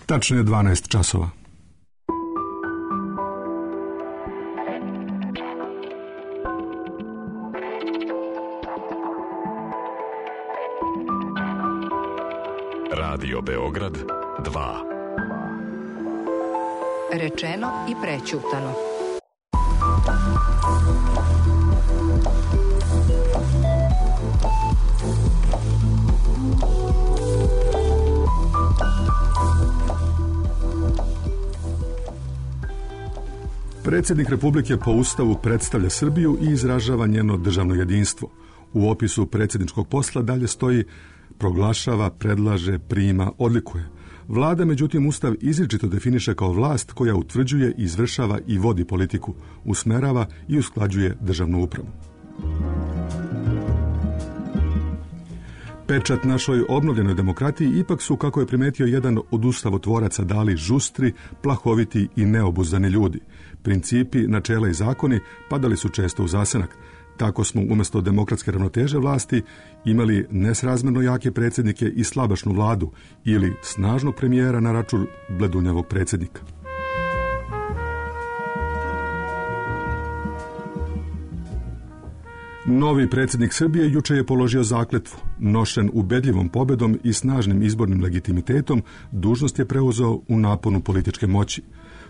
Tačno je 12 časova. Radio Beograd 2. Rečeno i prećutano. Predsjednik Republike po Ustavu predstavlja Srbiju i izražava njeno državno jedinstvo. U opisu predsjedničkog posla dalje stoji: proglašava, predlaže, prima, odlikuje. Vlada, međutim, Ustav izričito definiše kao vlast koja utvrđuje, izvršava i vodi politiku, usmerava i usklađuje državnu upravu. Pečat našoj obnovljenoj demokratiji ipak su, kako je primetio jedan od ustavotvoraca, dali žustri, plahoviti i neobuzdani ljudi. Principi, načela i zakoni padali su često u zasenak. Tako smo umjesto demokratske ravnoteže vlasti imali nesrazmjerno jake predsjednike i slabašnu vladu ili snažnog premijera na račun bledunjavog predsjednika. Novi predsjednik Srbije juče je položio zakletvu. Nošen ubedljivom pobedom i snažnim izbornim legitimitetom, dužnost je preuzeo u naponu političke moći.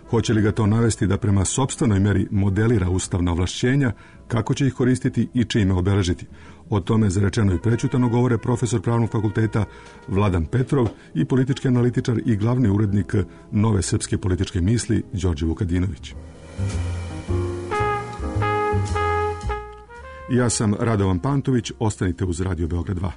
Hoće li ga to navesti da prema sopstvenoj meri modelira ustavna ovlašćenja, kako će ih koristiti i čime obeležiti? O tome za rečeno i prećutano govore profesor Pravnog fakulteta Vladan Petrov i politički analitičar i glavni urednik Nove srpske političke misli Đorđe Vukadinović. Ja sam Radovan Pantović, ostanite uz Radio Beograd 2.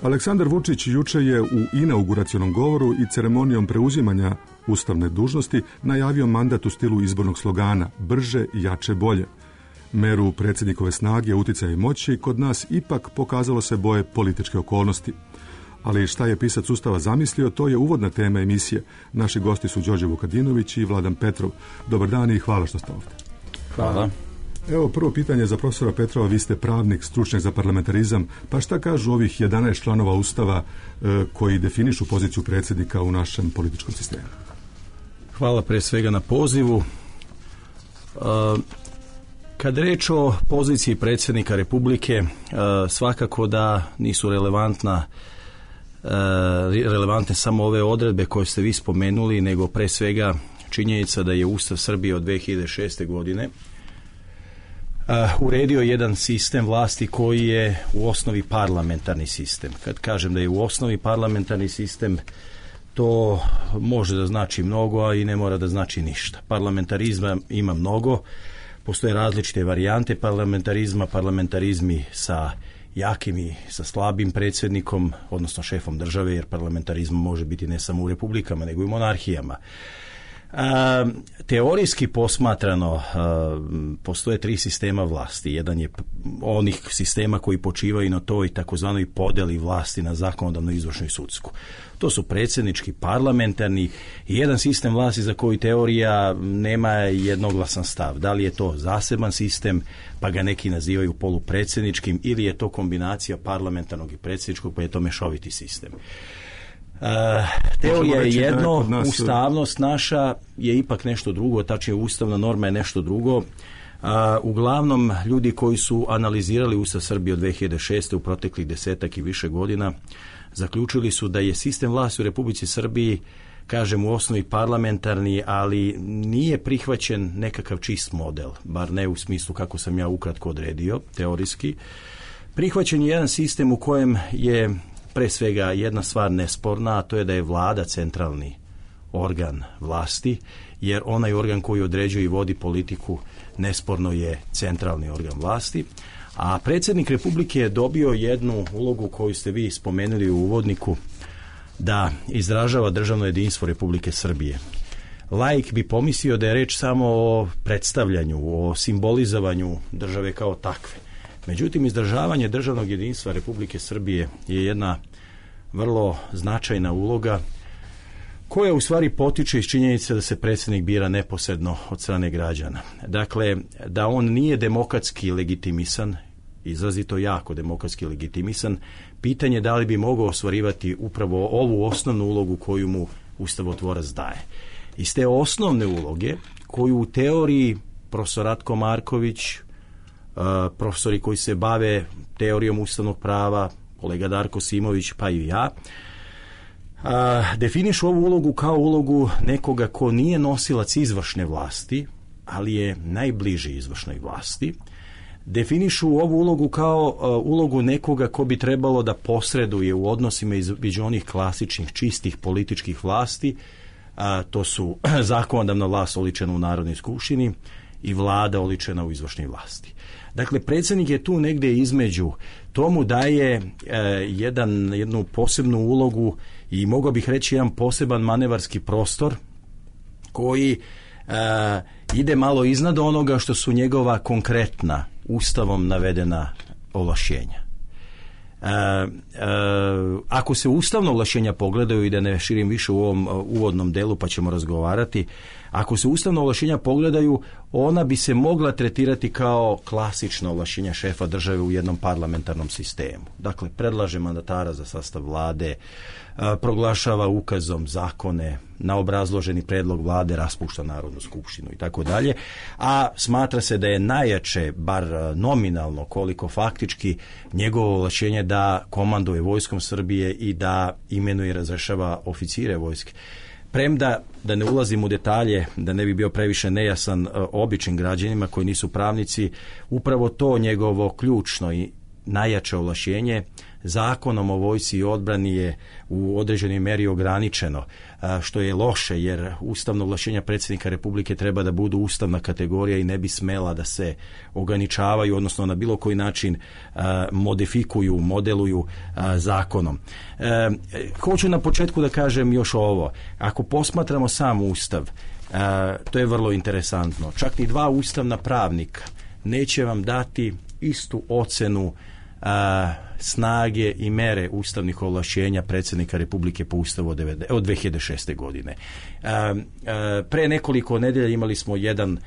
Aleksandar Vučić juče je u inauguracionom govoru i ceremonijom preuzimanja ustavne dužnosti najavio mandat u stilu izbornog slogana brže, jače, bolje. Meru predsjednikove snage, uticaja i moći kod nas ipak pokazalo se boje političke okolnosti. Ali šta je pisac Ustava zamislio, to je uvodna tema emisije. Naši gosti su Đorđe Vukadinović i Vladan Petrov. Dobar dan i hvala što ste ovdje. Hvala. Evo, prvo pitanje za profesora Petrova. Vi ste pravnik, stručnjak za parlamentarizam, pa šta kažu ovih 11 članova Ustava koji definišu poziciju predsjednika u našem političkom sistemu? Hvala pre svega na pozivu. Kad reč o poziciji predsjednika Republike, svakako da nisu relevantne samo ove odredbe koje ste vi spomenuli, nego pre svega činjenica da je Ustav Srbije od 2006. godine uredio jedan sistem vlasti koji je u osnovi parlamentarni sistem. Kad kažem da je u osnovi parlamentarni sistem, to može da znači mnogo, a i ne mora da znači ništa. Parlamentarizma ima mnogo, postoje različite varijante parlamentarizma, parlamentarizmi sa jakim i sa slabim predsjednikom, odnosno šefom države, jer parlamentarizam može biti ne samo u republikama, nego i u monarhijama. Teorijski posmatrano postoje 3 sistema vlasti. Jedan je onih sistema koji počivaju na toj takozvanoj podeli vlasti na zakonodavnu, izvršnu i sudsku. To su predsjednički, parlamentarni i jedan sistem vlasti za koji teorija nema jednoglasan stav. Da li je to zaseban sistem, pa ga neki nazivaju polupredsjedničkim, ili je to kombinacija parlamentarnog i predsjedničkog, pa je to mešoviti sistem. Teorija je jedno, ustavnost naša je ipak nešto drugo, tačnije ustavna norma je nešto drugo. Uglavnom, ljudi koji su analizirali Ustav Srbije od 2006. u proteklih 10 i više godina, zaključili su da je sistem vlasti u Republici Srbiji kažem u osnovi parlamentarni, ali nije prihvaćen nekakav čist model, bar ne u smislu kako sam ja ukratko odredio, teorijski. Prihvaćen je jedan sistem u kojem je pre svega jedna stvar nesporna, a to je da je vlada centralni organ vlasti, jer onaj organ koji određuje i vodi politiku nesporno je centralni organ vlasti. A predsjednik Republike je dobio jednu ulogu koju ste vi spomenuli u uvodniku, da izražava državno jedinstvo Republike Srbije. Laik bi pomislio da je reč samo o predstavljanju, o simbolizovanju države kao takve. Međutim, izražavanje državnog jedinstva Republike Srbije je jedna vrlo značajna uloga koja u stvari potiče iz činjenice da se predsjednik bira neposredno od strane građana. Dakle, da on nije demokratski legitimisan, izrazito jako demokratski legitimisan, pitanje da li bi mogao ostvarivati upravo ovu osnovnu ulogu koju mu ustavotvorac daje. Iz te osnovne uloge, koju u teoriji profesor Ratko Marković, profesori koji se bave teorijom ustavnog prava, kolega Darko Simović, pa i ja, definišu ovu ulogu kao ulogu nekoga ko nije nosilac izvršne vlasti, ali je najbliži izvršnoj vlasti. Definišu ovu ulogu kao ulogu nekoga ko bi trebalo da posreduje u odnosima između onih klasičnih, čistih političkih vlasti, to su zakonodavna vlast oličena u Narodnoj skupštini i vlada oličena u izvršnoj vlasti. Dakle, predsjednik je tu negdje između, tomu daje jednu posebnu ulogu i mogao bih reći jedan poseban manevarski prostor koji ide malo iznad onoga što su njegova konkretna Ustavom navedena ovlašćenja. Ako se ustavna ovlašćenja pogledaju, i da ne širim više u ovom uvodnom delu pa ćemo razgovarati, ako se ustavna ovlašćenja pogledaju, ona bi se mogla tretirati kao klasična ovlašćenja šefa države u jednom parlamentarnom sistemu. Dakle, predlaže mandatara za sastav vlade, proglašava ukazom zakone, na obrazloženi predlog vlade raspušta Narodnu skupštinu i tako dalje, a smatra se da je najjače, bar nominalno koliko faktički, njegovo ovlašćenje da komanduje vojskom Srbije i da imenuje i razrešava oficire vojske. Premda, da ne ulazim u detalje, da ne bi bio previše nejasan običnim građanima koji nisu pravnici, upravo to njegovo ključno i najjače ovlašćenje Zakonom o vojsci i odbrani je u određenoj meri ograničeno, što je loše, jer ustavno ovlašćenja predsjednika Republike treba da budu ustavna kategorija i ne bi smela da se ograničavaju, odnosno na bilo koji način modifikuju, modeluju zakonom. Hoću na početku da kažem još ovo. Ako posmatramo sam Ustav, to je vrlo interesantno. Čak ni dva ustavna pravnika neće vam dati istu ocenu snage i mere ustavnih ovlašćenja predsjednika Republike po Ustavu od 2006. godine. Pre nekoliko nedelja imali smo jedan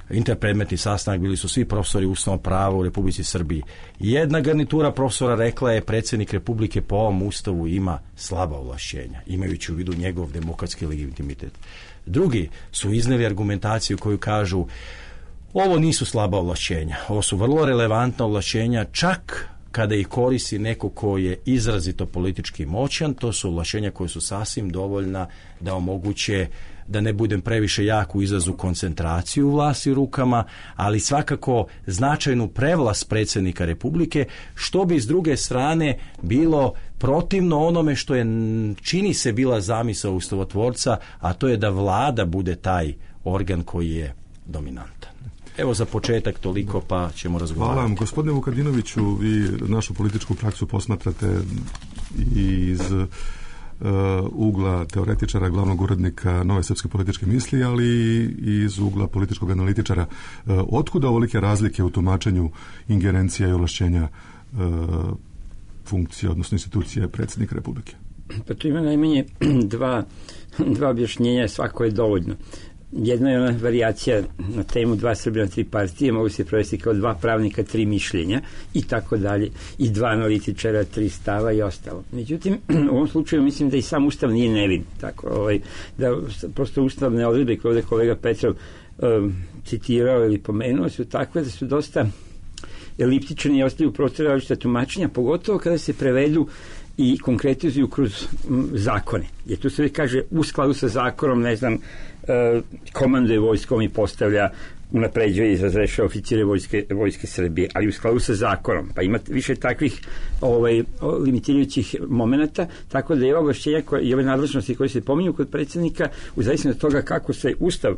interpredmetni sastanak, bili su svi profesori ustavnog prava u Republici Srbiji. Jedna garnitura profesora rekla je predsjednik Republike po ovom Ustavu ima slaba ovlašćenja, imajući u vidu njegov demokratski legitimitet. Drugi su izneli argumentaciju koju kažu ovo nisu slaba ovlašćenja, ovo su vrlo relevantna ovlašćenja, čak kada ih koristi neko ko je izrazito politički moćan, to su ovlašćenja koje su sasvim dovoljna da omoguće, da ne budem previše jak u izrazu, koncentraciju vlasti u rukama, ali svakako značajnu prevlast predsjednika Republike, što bi s druge strane bilo protivno onome što je, čini se, bila zamisao ustavotvorca, a to je da vlada bude taj organ koji je dominantan. Evo za početak toliko, pa ćemo razgovarati. Hvala vam. Gospodine Vukadinoviću, vi našu političku praksu posmatrate iz ugla teoretičara, glavnog urednika Nove srpske političke misli, ali i iz ugla političkog analitičara. Otkuda ovolike razlike u tumačenju ingerencija i ovlašćenja funkcije, odnosno institucije predsjednika Republike? Pa tu ima najmanje dva objašnjenja, svako je dovoljno. Jedna je ona varijacija na temu dva Srbija na tri partije, mogu se provesti kao dva pravnika, tri mišljenja i tako dalje, i dva analitičara, tri stava i ostalo. Međutim, u ovom slučaju mislim da i sam Ustav nije nevin, tako, da prosto ustavne odredbe koje ovdje kolega Petrov citirao ili pomenuo su takve da su dosta eliptične i ostaju prostora različita tumačenja, pogotovo kada se prevedu i konkretizuju kroz zakone. Jer tu se kaže u skladu sa zakonom, ne znam, komanduje vojskom i postavlja, unapređuje i razrešava oficire vojske Srbije, ali u skladu sa zakonom. Pa ima više takvih limitirajućih momenata, tako da je ovlašćenja i ove nadležnosti koje se pominju kod predsjednika, u zavisnosti od toga kako se Ustav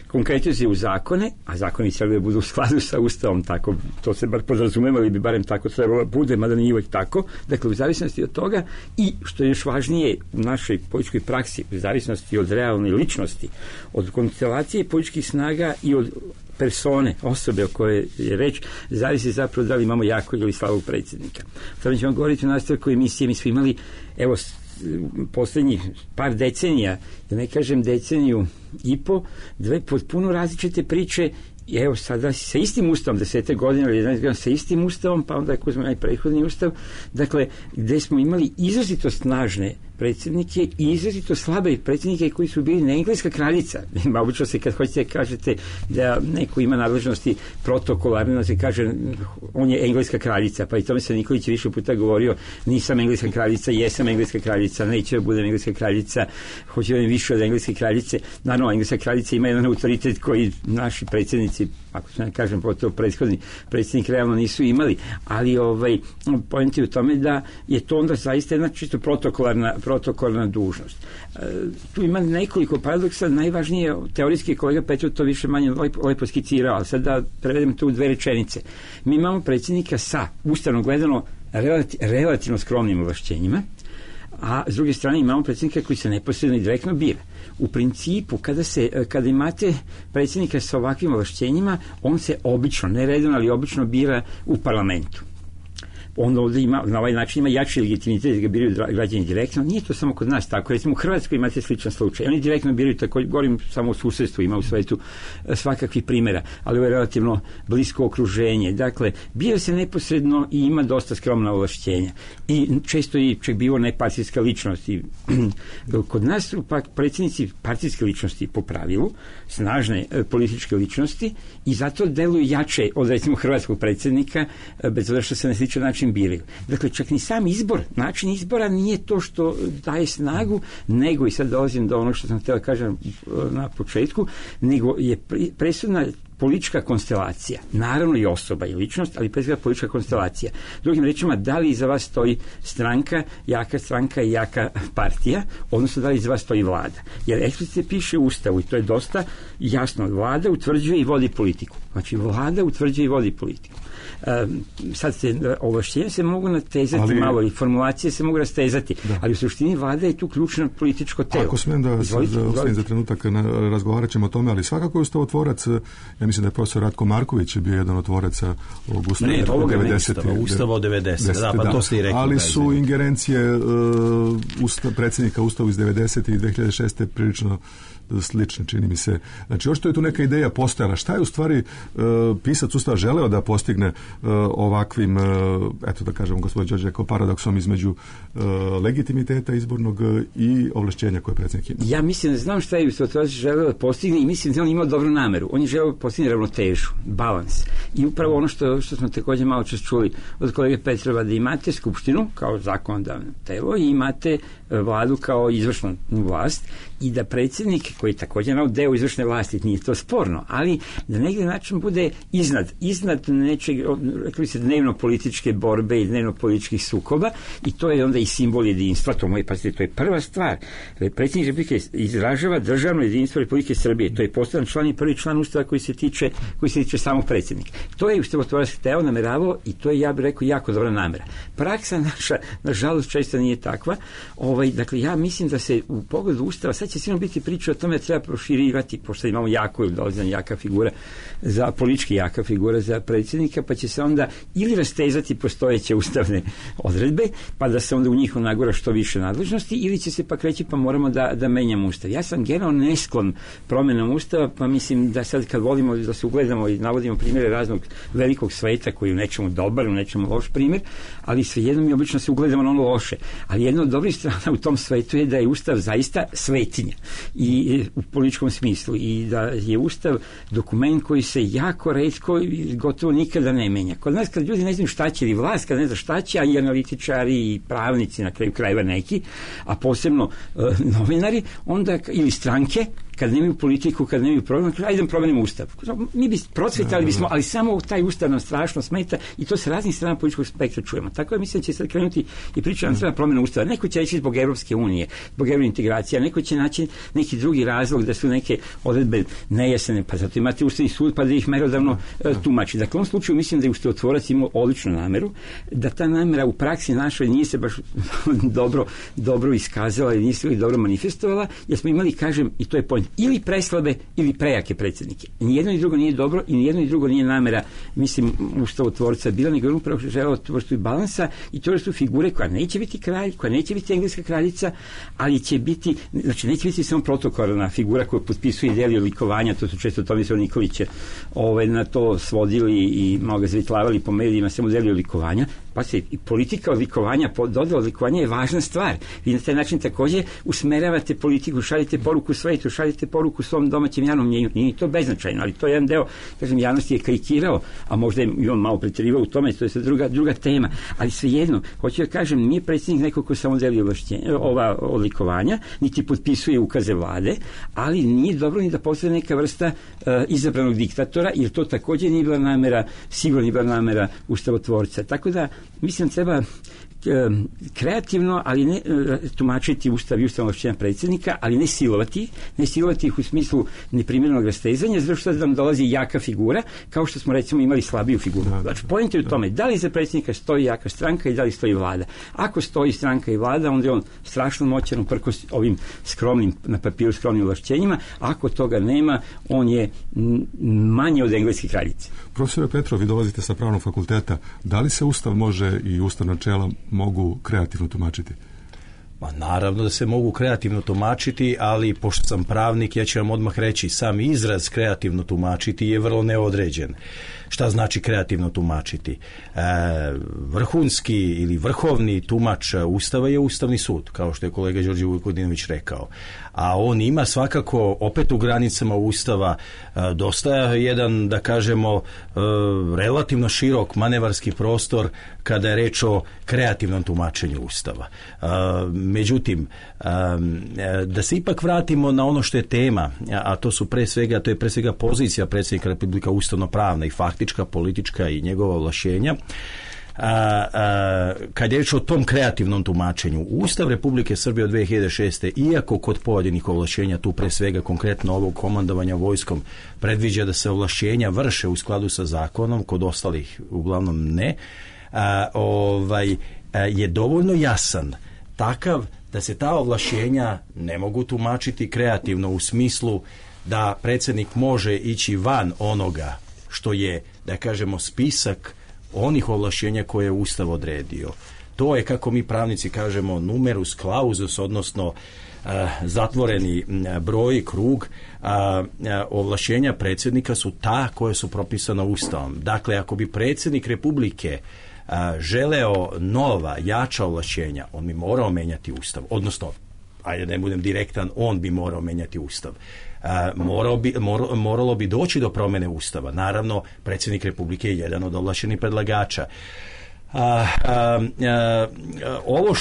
konkretizuje u zakone, a zakoni trebaju da budu u skladu sa Ustavom, tako, to se bar podrazumeva, ili bi barem tako trebalo bude, mada nije uvijek tako. Dakle, u zavisnosti od toga i, što je još važnije u našoj političkoj praksi, u zavisnosti od realne ličnosti, od konstelacije političkih snaga i od persone, osobe o kojoj je reč, zavisi zapravo da li imamo jakog ili slabog predsjednika. Sada ćemo govoriti o nastavku emisije. Mi smo imali, evo, poslednjih par decenija, da ne kažem deceniju i po, dve potpuno različite priče. I evo sada sa istim ustavom, 10. godine ili 11. godina sa istim ustavom, pa onda ako uzmemo najprethodni ustav, dakle, gde smo imali izrazito snažne predsjednike i izrazito slabe predsjednike koji su bili na engleska kraljica. Obično se kad hoćete kažete da neko ima nadležnosti protokolarne, da se kaže on je engleska kraljica, pa i tome se Nikolić više puta govorio, nisam engleska kraljica, jesam engleska kraljica, neće da budem engleska kraljica, hoće da budem više od engleske kraljice. Naravno, engleska kraljica ima jedan autoritet koji naši predsjednici, ako se ne kažem, pogotovo prethodni predsjednik realno nisu imali, ali point je u tome da je to onda zaista jedna čisto protokolarna dužnost. Tu ima nekoliko paradoksa, najvažnije teorijski kolega Petrov to više manje lepo skicirao, ali sad da prevedem to u dve rečenice. Mi imamo predsjednika sa, ustavno gledano, relativno skromnim ovlašćenjima, a s druge strane imamo predsjednika koji se neposredno i direktno bira. U principu, kada imate predsjednika sa ovakvim ovlašćenjima, on se obično, ne redovno, ali obično bira u parlamentu. On ovdje ima, na ovaj način ima jači legitimitet da ga biraju građani direktno. Nije to samo kod nas tako. Recimo u Hrvatskoj imate sličan slučaj. Oni direktno biraju, tako govorim samo o susjedstvu, ima u svetu svakakvih primjera, ali ovo je relativno blisko okruženje. Dakle, bira se neposredno i ima dosta skromna ovlašćenja. I često i čak bivo nepartijska ličnost. I kod nas su pak predsjednici partijske ličnosti po pravilu, snažne političke ličnosti i zato deluju jače od recimo hrvatskog predsjednika, bez obzira što se na sličan način biraju. Dakle, čak ni sam izbor, način izbora nije to što daje snagu, nego, i sad dolazim do onog što sam htio da kažem na početku, nego je presudna politička konstelacija. Naravno i osoba i ličnost, ali pre svega politička konstelacija. Drugim rečima, da li iza vas stoji stranka i jaka partija, odnosno da li iza vas stoji vlada. Jer eksplicitno piše u Ustavu i to je dosta jasno. Vlada utvrđuje i vodi politiku. Znači, vlada utvrđuje i vodi politiku. Sad ovlašćenja se mogu natezati malo i formulacije se mogu rastezati, ali u suštini vlada je tu ključno političko telo. Ako smijem da ostavim za trenutak, razgovarat ćemo o tome, ali svakako je ustavotvorac, ja mislim da je profesor Ratko Marković bio jedan od tvoraca ovog Ustava. Ne, ovoga Ustava od 90. Pa to ste i rekli. Ali su ingerencije predsjednika Ustava iz 90. i 2006. prilično slične, čini mi se. Znači, očito je tu neka ideja postojala. Šta je u stvari pisac Ustava želeo da postigne ovakvim, eto da kažemo, gospodin Đorđe, kao paradoksom između legitimiteta izbornog i ovlašćenja koje predsjednik ima? Ja mislim da znam šta je ustavotvorac želeo da postigne i mislim da on imao dobru nameru. On je želeo da postigne ravnotežu, balans. I upravo ono što smo također malo čas čuli od kolege Petrova, da imate skupštinu kao zakonodavno telo i imate vladu kao izvršnu vlast i da predsjednik, koji je također deo izvršne vlasti, nije to sporno, ali da negdje način bude iznad nečeg, rekli se, dnevno političke borbe i dnevno političkih sukoba, i to je onda i simbol jedinstva. To je prva stvar. Predsjednik Republike izražava državno jedinstvo Republike Srbije. To je poseban član i prvi član Ustava koji se tiče samog predsjednika. To je ustavotvorac hteo, nameravao, i to je, ja bih rekao, jako dobra namera. Praksa naša, nažalost, često nije takva. Dakle, ja mislim da se u pogledu Ustava, sad će sigurno biti priča o tome da treba proširivati, pošto imamo politički jaka figura za predsjednika, pa će se onda ili rastezati postojeće ustavne odredbe, pa da se onda u njih nagura što više nadležnosti, ili će se pak reći pa moramo da menjamo Ustav. Ja sam generalno nesklon promjenom Ustava, pa mislim da sad kad volimo da se ugledamo i navodimo primjere raznog velikog sveta koji je u nečemu dobar, u nečemu loš primjer, ali svejedno mi obično se ugledamo na ono loše. Ali jedna od dobrih strana u tom svetu je da je Ustav zaista svetinja. I u političkom smislu i da je Ustav dokument koji se jako retko i gotovo nikada ne menja. Kod nas kad ljudi ne znaju šta će, ili vlast kad ne zna šta će, a i analitičari i pravnici na kraju krajeva neki, a posebno novinari, onda ili stranke, kad nemaju politiku, kad nemaju program, ajde da promenimo Ustav. Mi bi procvetali bismo, ali samo taj Ustav nam strašno smeta i to sa raznih strana političkog spektra čujemo. Tako je, mislim da će sad krenuti i priča nam treba promena Ustava. Neko će reći zbog Evropske unije, zbog evrointegracija, neko će naći neki drugi razlog da su neke odredbe nejasne, pa zato imate Ustavni sud pa da ih merodavno tumači. Dakle, u ovom slučaju mislim da je ustavotvorac imao odličnu nameru, da ta namera u praksi našoj nije se baš dobro iskazala i nije se dobro manifestovala, jer smo imali, kažem, i to je point, ili preslabe ili prejake predsjednike. Nijedno i drugo nije dobro i nijedno i drugo nije namera, mislim, ustavotvorca bila, nego je upravo želeo tu vrstu balansa i tu vrstu figure koja neće biti kralj, koja neće biti engleska kraljica, ali će biti, znači neće biti samo protokolarna figura koja potpisuje i deli odlikovanja, to su često Tomislav Nikolić na to svodili i malo ga zvitlavali po medijima, samo deli odlikovanja. Pa se i politika odlikovanja, dodala odlikovanja je važna stvar. Vi na taj način također usmeravate politiku, šaljete poruku svetu, šaljete poruku svom domaćem javnom mnjenju. Nije to beznačajno, ali to je jedan deo, kažem, javnosti je karikirao, a možda je i on malo pretjerivao u tome, to je sad druga tema. Ali svejedno, hoću da kažem, nije predsjednik neko ko samo deli ova odlikovanja, niti potpisuje ukaze vlade, ali nije dobro ni da postane neka vrsta izabranog diktatora, jer to također nije bila namera, sigurno nije bila namera ustavotvorca. Tako da mislim treba kreativno, ali ne tumačiti Ustav i ustavno ovlašćenja predsjednika, ali ne silovati ih u smislu neprimjerenog rastezanja, zato što nam dolazi jaka figura, kao što smo recimo imali slabiju figuru. Znači, point je u tome, da li za predsjednika stoji jaka stranka i da li stoji vlada. Ako stoji stranka i vlada, onda je on strašno moćan uprkos ovim skromnim, na papiru skromnim ovlašćenjima, ako toga nema, on je manje od engleske kraljice. Profesore Petrov, vi dolazite sa pravnog fakulteta. Da li se Ustav može i ustavna načela mogu kreativno tumačiti? Ma naravno da se mogu kreativno tumačiti, ali pošto sam pravnik, ja ću vam odmah reći, sam izraz kreativno tumačiti je vrlo neodređen. Šta znači kreativno tumačiti? Vrhunski ili vrhovni tumač Ustava je Ustavni sud, kao što je kolega Đorđe Vukadinović rekao. A on ima svakako, opet u granicama Ustava, dosta jedan, da kažemo, relativno širok manevarski prostor kada je reč o kreativnom tumačenju Ustava. Međutim, da se ipak vratimo na ono što je tema, a to je pre svega pozicija predsjednika Republika ustavno-pravna i faktička, politička i njegova ovlašćenja. Kad je reč o tom kreativnom tumačenju, Ustav Republike Srbije od 2006. iako kod pojedinih ovlašćenja, tu pre svega konkretno ovog komandovanja vojskom, predviđa da se ovlašćenja vrše u skladu sa zakonom, kod ostalih uglavnom ne, je dovoljno jasan, takav da se ta ovlašćenja ne mogu tumačiti kreativno u smislu da predsjednik može ići van onoga što je, da kažemo, spisak onih ovlašćenja koje je Ustav odredio. To je, kako mi pravnici kažemo, numerus clausus, odnosno zatvoreni broj, krug. Ovlašćenja predsjednika su ta koje su propisana Ustavom. Dakle, ako bi predsjednik Republike želeo nova, jača ovlašćenja, on bi morao menjati Ustav. Odnosno, ajde da ne budem direktan, on bi morao menjati Ustav. Moralo bi doći do promjene Ustava. Naravno, predsjednik Republike je jedan od ovlašćenih predlagača. Ovo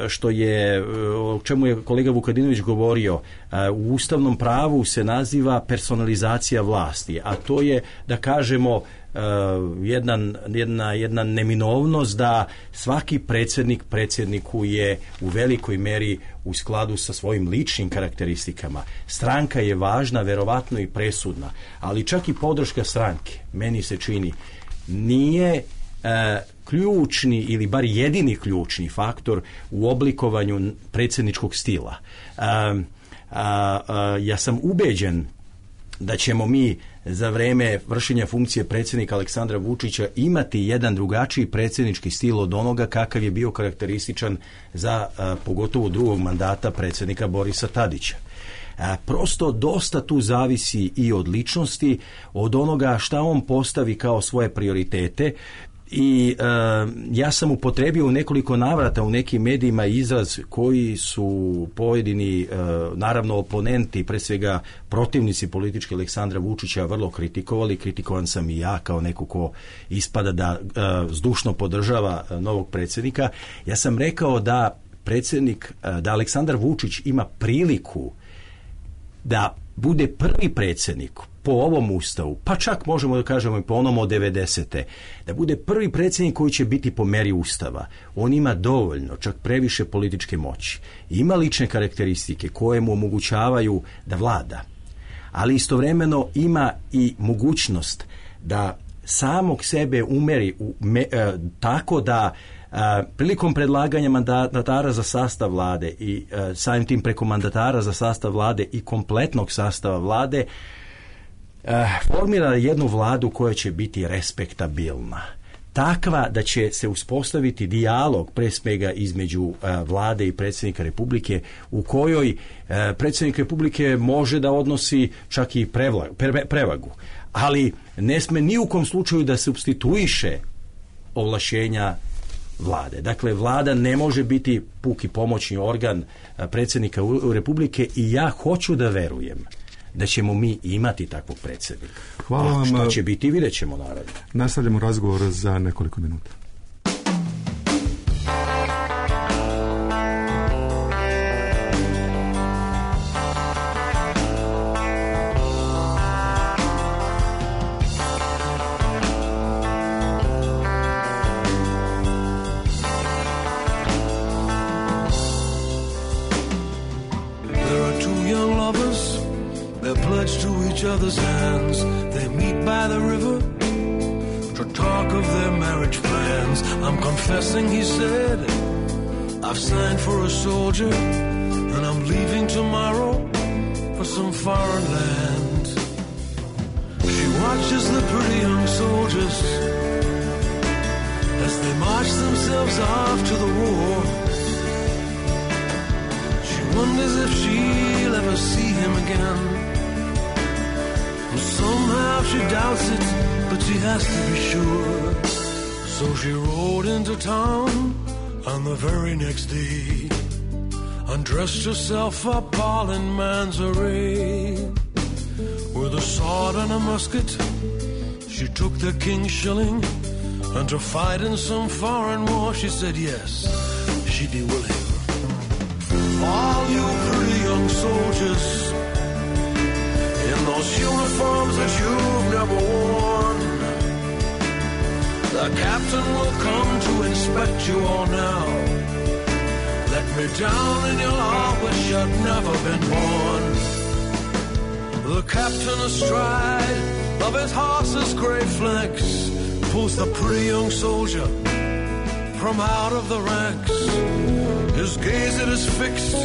što je o čemu je kolega Vukadinović govorio, u ustavnom pravu se naziva personalizacija vlasti, a to je, da kažemo, jedna neminovnost da svaki predsjedniku je u velikoj meri u skladu sa svojim ličnim karakteristikama. Stranka je važna, verovatno i presudna, ali čak i podrška stranke, meni se čini, nije ključni ili bar jedini ključni faktor u oblikovanju predsjedničkog stila. Ja sam ubeđen da ćemo mi za vrijeme vršenja funkcije predsjednika Aleksandra Vučića imati jedan drugačiji predsjednički stil od onoga kakav je bio karakterističan za pogotovo drugog mandata predsjednika Borisa Tadića. Prosto dosta tu zavisi i od ličnosti, od onoga šta on postavi kao svoje prioritete I ja sam upotrebio u nekoliko navrata u nekim medijima izraz koji su pojedini, naravno oponenti, pre svega protivnici političke Aleksandra Vučića vrlo kritikovali. Kritikovan sam i ja kao neko ko ispada da zdušno podržava novog predsjednika. Ja sam rekao da da Aleksandar Vučić ima priliku da bude prvi predsjednik po ovom ustavu, pa čak možemo da kažemo i po onom od 90. da bude prvi predsjednik koji će biti po meri ustava. On ima dovoljno, čak previše političke moći. Ima lične karakteristike koje mu omogućavaju da vlada, ali istovremeno ima i mogućnost da samog sebe umeri tako da prilikom predlaganja mandatara za sastav vlade i samim tim preko mandatara za sastav vlade i kompletnog sastava vlade formira jednu vladu koja će biti respektabilna. Takva da će se uspostaviti dijalog pre svega između vlade i predsjednika Republike, u kojoj predsjednik Republike može da odnosi čak i prevagu, ali ne sme ni u kom slučaju da supstituiše ovlašćenja vlade. Dakle, vlada ne može biti puki pomoćni organ predsjednika Republike i ja hoću da verujem da ćemo mi imati takvog predsjednika. Hvala vam. Šta će biti, vidjet ćemo naravno. Nastavljamo razgovor za nekoliko minuta. Other's hands, they meet by the river to talk of their marriage plans. I'm confessing, he said, I've signed for a soldier and I'm leaving tomorrow for some foreign land. She watches the pretty young soldiers as they march themselves off to the war. She wonders if she'll ever see him again. Somehow she doubts it, but she has to be sure. So she rode into town on the very next day, undressed herself up all in man's array. With a sword and a musket, she took the king's shilling, and to fight in some foreign war, she said yes, she'd be willing. All you pretty young soldiers in those uniforms that you've never worn, the captain will come to inspect you all now. Let me down and you'll all wish you'd never been born. The captain astride of his horse's gray flanks pulls the pretty young soldier from out of the ranks. His gaze it is fixed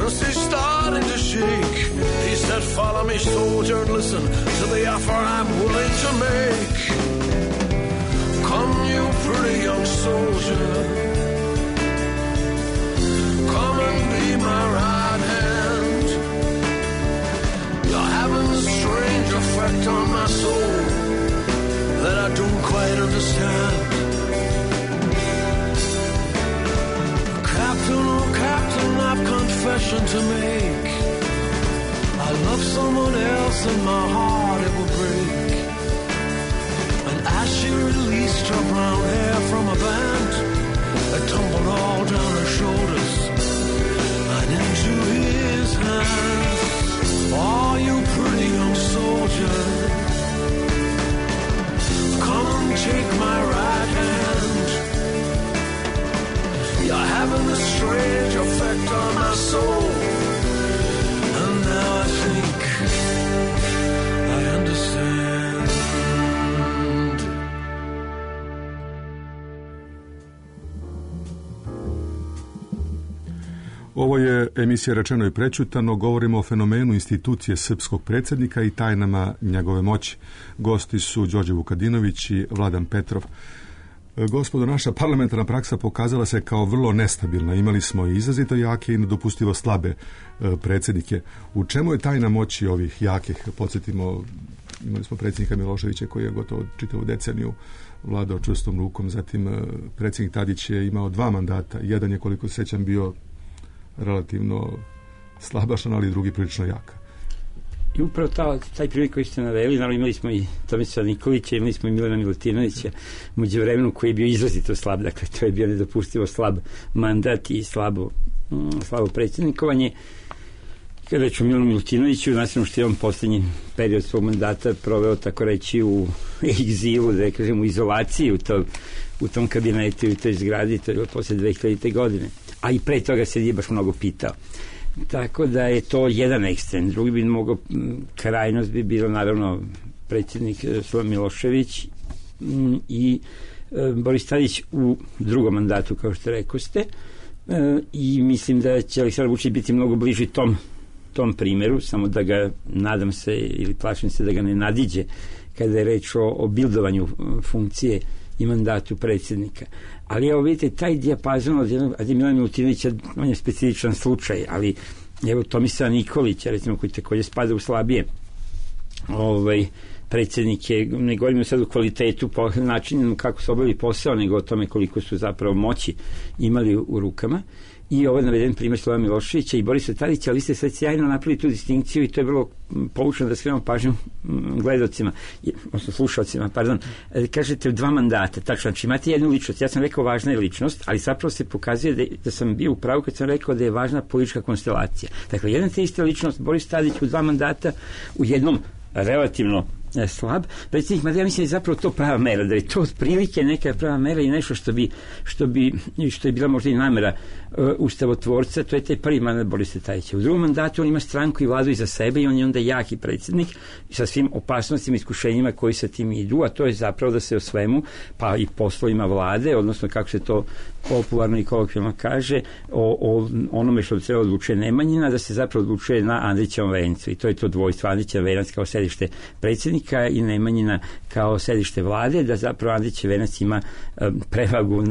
as he's starting to shake. He said, follow me, soldier, and listen to the offer I'm willing to make. Come, you pretty young soldier, come and be my right hand. You're having a strange effect on my soul that I don't quite understand. Captain, oh Captain, I've confession to make. I love someone else and my heart it will break. And as she released her brown hair from a band, it tumbled all down her shoulders and into his hands. Oh, you pretty young soldier, come and take my right hand. You're having a strange effect on my soul, and now I think I understand. Ovo je emisija Rečeno i prećutano. Govorimo o fenomenu institucije srpskog predsjednika i tajnama njegove moći. Gosti su Đorđe Vukadinović i Vladan Petrov. Gospodo, naša parlamentarna praksa pokazala se kao vrlo nestabilna. Imali smo i izrazito jake i nedopustivo slabe predsjednike. U čemu je tajna moći ovih jakih? Podsjetimo imali smo predsjednika Miloševića koji je gotovo čitavu deceniju vladao čvrstom rukom, zatim predsjednik Tadić je imao 2 mandata, jedan je koliko se sjećam bio relativno slabašan, ali drugi prilično jaka. I upravo taj primjer koji ste naveli, naravno imali smo i Tomislava Nikolića, imali smo i Milana Milutinovića u međuvremenu koji je bio izrazito slab, dakle to je bio nedopustivo slab mandat i slabo predsjednikovanje. Kada reći o Milanu Milutinoviću, nastavno što je on posljednji period svog mandata proveo, tako reći, u egzilu, da kažem, u izolaciji u tom kabinetu i u toj zgradi, to je bilo posle 2000. godine. A i pre toga se nije baš mnogo pitao. Tako da je to jedan ekstrem. Drugi bi mogao, krajnost bi bilo naravno predsjednik Slobodan Milošević i Boris Tadić u drugom mandatu, kao što rekoste, i mislim da će Aleksandar Vučić biti mnogo bliži tom primjeru, samo da ga, nadam se ili plašim se da ga ne nadiđe kada je reč o bildovanju funkcije i mandatu predsjednika. Ali evo vidite, taj dijapazon od Milana Milutinovića, on je specifičan slučaj, ali evo Tomislava Nikolića, recimo, koji također spada u slabije predsjednike, ne govorimo sad o kvalitetu po načinu kako su obavili posao, nego o tome koliko su zapravo moći imali u rukama. I ovo je naveden primjer Slobodana Miloševića i Borisa Tadića, ali vi ste sad sjajno napravili tu distinkciju i to je vrlo poučno da skrenemo pažnju gledalcima, odnosno slušalcima, pardon. Kažete 2 mandata, tačno, znači imate jednu ličnost, ja sam rekao važna je ličnost, ali zapravo se pokazuje da sam bio u pravu kad sam rekao da je važna politička konstelacija. Dakle, jedan te ista ličnost, Boris Tadić u 2 mandata, u jednom relativno slab predsjednik, mada ja mislim da je zapravo to prava mera, da je to otprilike neka prava mera i nešto što je bila možda i namera ustavotvorca, to je taj prvi mandat Borisa Tadića. U drugom mandatu on ima stranku i vladu iza sebe i on je onda jaki predsjednik sa svim opasnostima i iskušenjima koji sa tim idu, a to je zapravo da se o svemu, pa i poslovima vlade, odnosno kako se to popularno i kolokvijalno kaže, o onome što treba odlučuje Nemanjina, da se zapravo odlučuje na Andrićevom vencu i to je to dvojstvo, Andrićev venac kao sedište predsjednika i Nemanjina kao sedište vlade, da zapravo Andrićev venac ima prevagu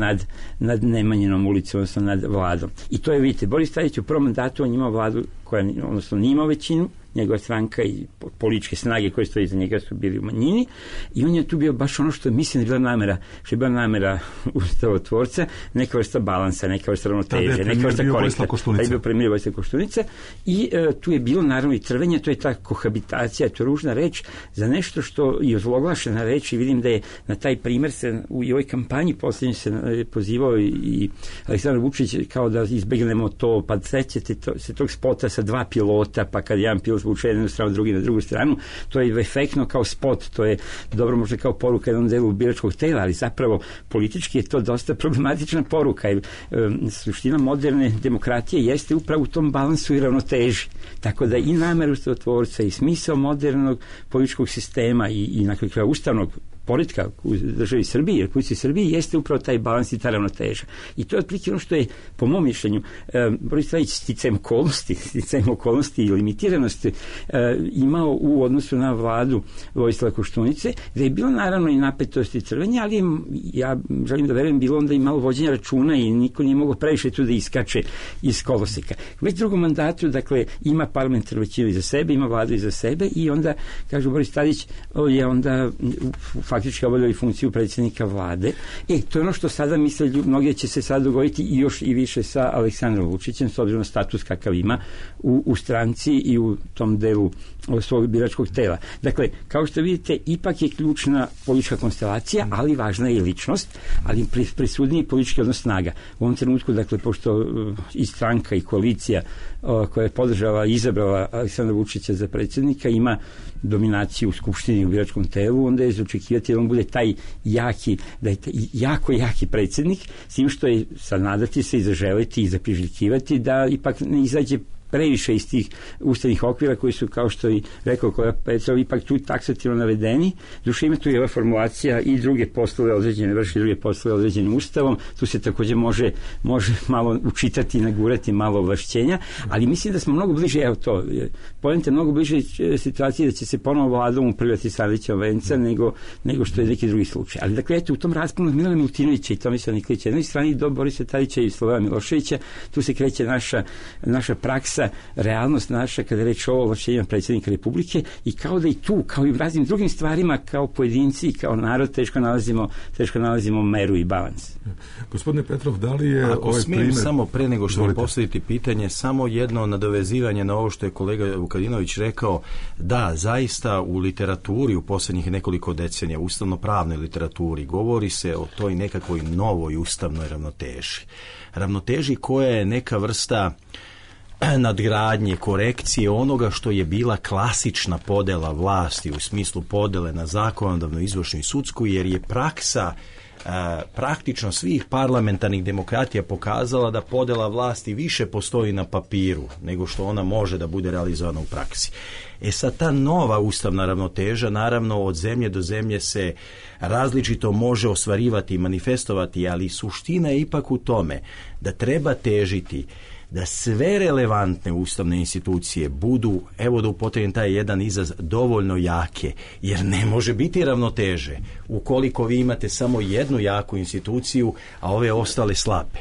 nad Nemanjinom ulicom, odnosno nad vladom. I to je, vidite, Boris Tadić u prvom mandatu on imao vladu koja, odnosno nije imao većinu, njegova stranka i političke snage koje stoji iza njega su bili u manjini i on je tu bio baš ono što mislim da je bila namera ustavotvorca, neka vrsta balansa, neka vrsta ravnoteže, neka vrsta korekta. Da je bio premijer Vojislav Koštunica i tu je bilo naravno i trvenje, to je ta kohabitacija, to je ružna reč za nešto što je ozloglašena reč i vidim da je na taj primjer se u ovoj kampanji posljednje se pozivao i Aleksandar Vučić kao da izbegnemo to, pa sećate se tog spota sa 2 pilota, pa kad jedan pilot zvuče jednu stranu, drugi na drugu stranu, to je efektno kao spot, to je dobro možda kao poruka jednom delu biračkog tela, ali zapravo politički je to dosta problematična poruka. Suština moderne demokratije jeste upravo u tom balansu i ravnoteži. Tako da i namera ustavotvorca i smisao modernog političkog sistema i na kraju ustavnog poretka u državi Srbiji, Republici Srbiji, jeste upravo taj balans i ta ravnoteža. I to je otprilike ono što je, po mom mišljenju, Boris Tadić sticajem okolnosti i limitiranosti imao u odnosu na vladu Vojislava Koštunice, da je bilo naravno i napetosti i crvenje, ali ja želim da verujem bilo onda i malo vođenja računa i niko nije mogao previše tu da iskače iz koloseka. Već drugom mandatu, dakle, ima parlamentarnu većinu iza sebe, ima vladu iza sebe i onda, kažu, Boris Tadić je onda faktički obavljali funkciju predsjednika vlade. To je ono što sada misle, mnogi će se sad dogoditi i još i više sa Aleksandrom Vučićem, s obzirom na status kakav ima u stranci i u tom delu svog biračkog tela. Dakle, kao što vidite, ipak je ključna politička konstelacija, ali važna je i ličnost, ali presudniji politički odnos snaga. U ovom trenutku, dakle, pošto i stranka i koalicija koja je podržala i izabrala Aleksandra Vučića za predsjednika ima dominaciju u skupštini u biračkom telu, onda je za očekivati da on bude taj jaki, da je jako jaki predsjednik, s tim što je sad nadati se i zaželiti i zapriželjkivati da ipak ne izađe previše iz tih ustavnih okvira koji su, kao što i rekao kolega Petrov, ipak tu taksativno navedeni. Duše ima tu i ova formulacija i druge poslove određene, vrši druge poslove određenim ustavom, tu se također može malo učitati i nagurati malo ovlašćenja, ali mislim da smo mnogo bliže, evo to, poenta mnogo bliže situaciji da će se ponovo vladom upravljati sa Andrićevom venca nego što je neki drugi slučaj. Ali dakle, eto, u tom rasponu Milana Milutinovića i Tomislava Nikolića, na jednoj strani do Borisa Tadića i Slobodana Miloševića, tu se kreće naša praksa zaista realnost naša kada je reč o ovlašćenjima predsjednika Republike i kao da i tu, kao i u raznim drugim stvarima, kao pojedinci i kao narod teško nalazimo meru i balans. Gospodine Petrov, da li je ako smijem primjer... samo pre nego što mi postaviti pitanje, samo jedno nadovezivanje na ovo što je kolega Vukadinović rekao, da, zaista u literaturi u posljednjih nekoliko decenija, ustavno-pravnoj literaturi, govori se o toj nekakvoj novoj ustavnoj ravnoteži koja je neka vrsta nadgradnje, korekcije onoga što je bila klasična podela vlasti u smislu podele na zakonodavnu, izvršnu i sudsku, jer je praksa praktično svih parlamentarnih demokratija pokazala da podela vlasti više postoji na papiru nego što ona može da bude realizovana u praksi. Sad ta nova ustavna ravnoteža naravno od zemlje do zemlje se različito može ostvarivati i manifestovati, ali suština je ipak u tome da treba težiti da sve relevantne ustavne institucije budu, evo da upotrebim taj jedan izraz, dovoljno jake, jer ne može biti ravnoteže ukoliko vi imate samo jednu jaku instituciju, a ove ostale slabe.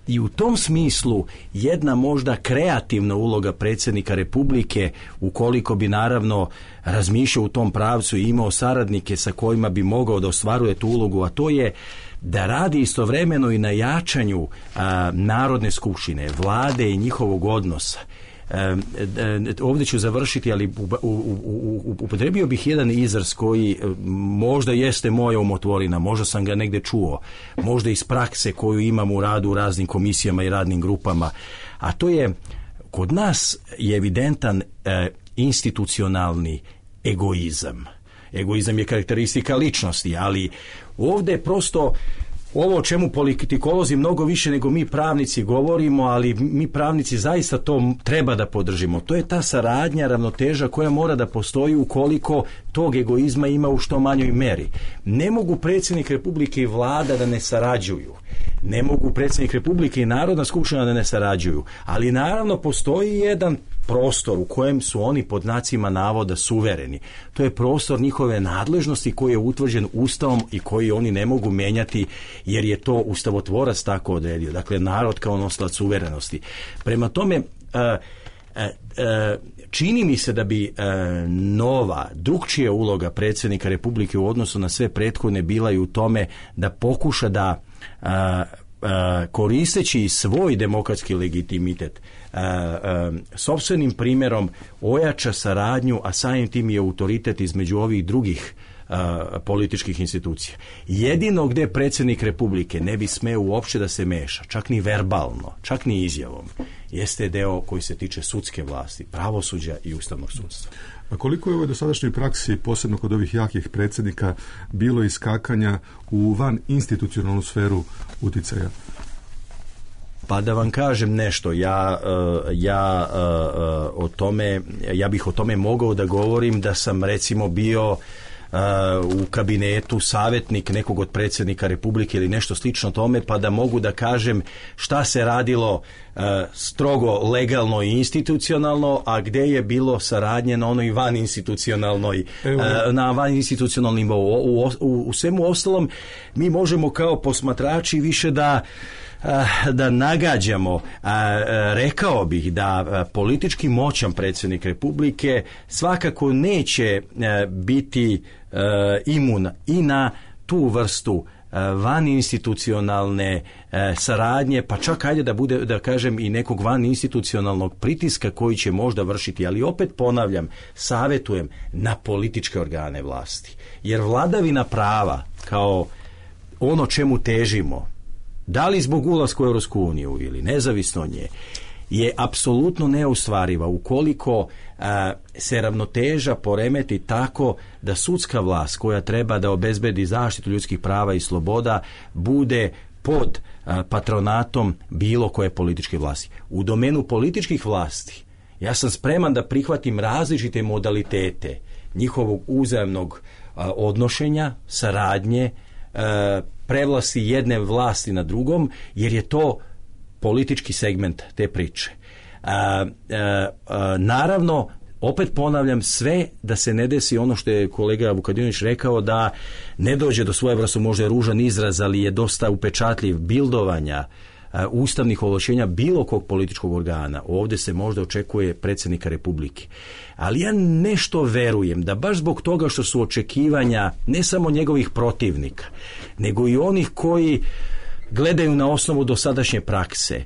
I u tom smislu jedna možda kreativna uloga predsjednika Republike, ukoliko bi naravno razmišljao u tom pravcu i imao saradnike sa kojima bi mogao da ostvaruje tu ulogu, a to je da radi istovremeno i na jačanju Narodne skupštine, vlade i njihovog odnosa. Ovdje ću završiti, ali upotrebio bih jedan izraz koji možda jeste moja umotvorina, možda sam ga negdje čuo, možda iz prakse koju imam u radu u raznim komisijama i radnim grupama, a to je, kod nas je evidentan institucionalni egoizam. Egoizam je karakteristika ličnosti, ali ovdje prosto ovo o čemu politikolozi mnogo više nego mi pravnici govorimo, ali mi pravnici zaista to treba da podržimo. To je ta saradnja, ravnoteža koja mora da postoji ukoliko tog egoizma ima u što manjoj meri. Ne mogu predsjednik Republike i vlada da ne sarađuju. Ne mogu predsjednik Republike i Narodna skupština da ne sarađuju. Ali naravno postoji jedan prostor u kojem su oni pod znacima navoda suvereni. To je prostor njihove nadležnosti koji je utvrđen Ustavom i koji oni ne mogu menjati jer je to ustavotvorac tako odredio. Dakle, narod kao nosilac suverenosti. Prema tome, čini mi se da bi nova, drukčija uloga predsjednika Republike u odnosu na sve prethodne bila i u tome da pokuša da koristeći svoj demokratski legitimitet sopstvenim primjerom ojača saradnju, a samim tim je autoritet između ovih drugih političkih institucija. Jedino gdje predsjednik Republike ne bi smeo uopće da se meša, čak ni verbalno, čak ni izjavom, jeste deo koji se tiče sudske vlasti, pravosuđa i ustavnog sudstva. A koliko je u ovoj dosadašnjoj praksi, posebno kod ovih jakih predsjednika, bilo iskakanja u van institucionalnu sferu uticaja? Pa da vam kažem nešto, ja bih o tome mogao da govorim da sam recimo bio u kabinetu savjetnik nekog od predsjednika Republike ili nešto slično tome, pa da mogu da kažem šta se radilo strogo legalno i institucionalno, a gdje je bilo saradnje na onoj vaninstitucionalnoj na vaninstitucionalnom nivou. U svemu ostalom mi možemo kao posmatrači više da nagađamo. Rekao bih da politički moćan predsjednik Republike svakako neće biti imun i na tu vrstu vaninstitucionalne saradnje, pa čak ajde da bude, da kažem, i nekog vaninstitucionalnog pritiska koji će možda vršiti, ali opet ponavljam, savjetujem na političke organe vlasti. Jer vladavina prava kao ono čemu težimo, da li zbog ulaska u Europsku uniju ili nezavisno od nje, je apsolutno neostvariva ukoliko se ravnoteža poremeti tako da sudska vlast koja treba da obezbedi zaštitu ljudskih prava i sloboda bude pod patronatom bilo koje političke vlasti. U domenu političkih vlasti ja sam spreman da prihvatim različite modalitete njihovog uzajamnog odnošenja, saradnje, prevlasti jedne vlasti na drugom, jer je to politički segment te priče. Naravno, opet ponavljam, sve da se ne desi ono što je kolega Vukadinović rekao, da ne dođe do svojevrsnog, možda ružan izraz, ali je dosta upečatljiv, bildovanja ustavnih ovlaštenja bilo kog političkog organa. Ovdje se možda očekuje predsjednika Republike. Ali ja nešto verujem da baš zbog toga što su očekivanja ne samo njegovih protivnika, nego i onih koji gledaju na osnovu dosadašnje prakse,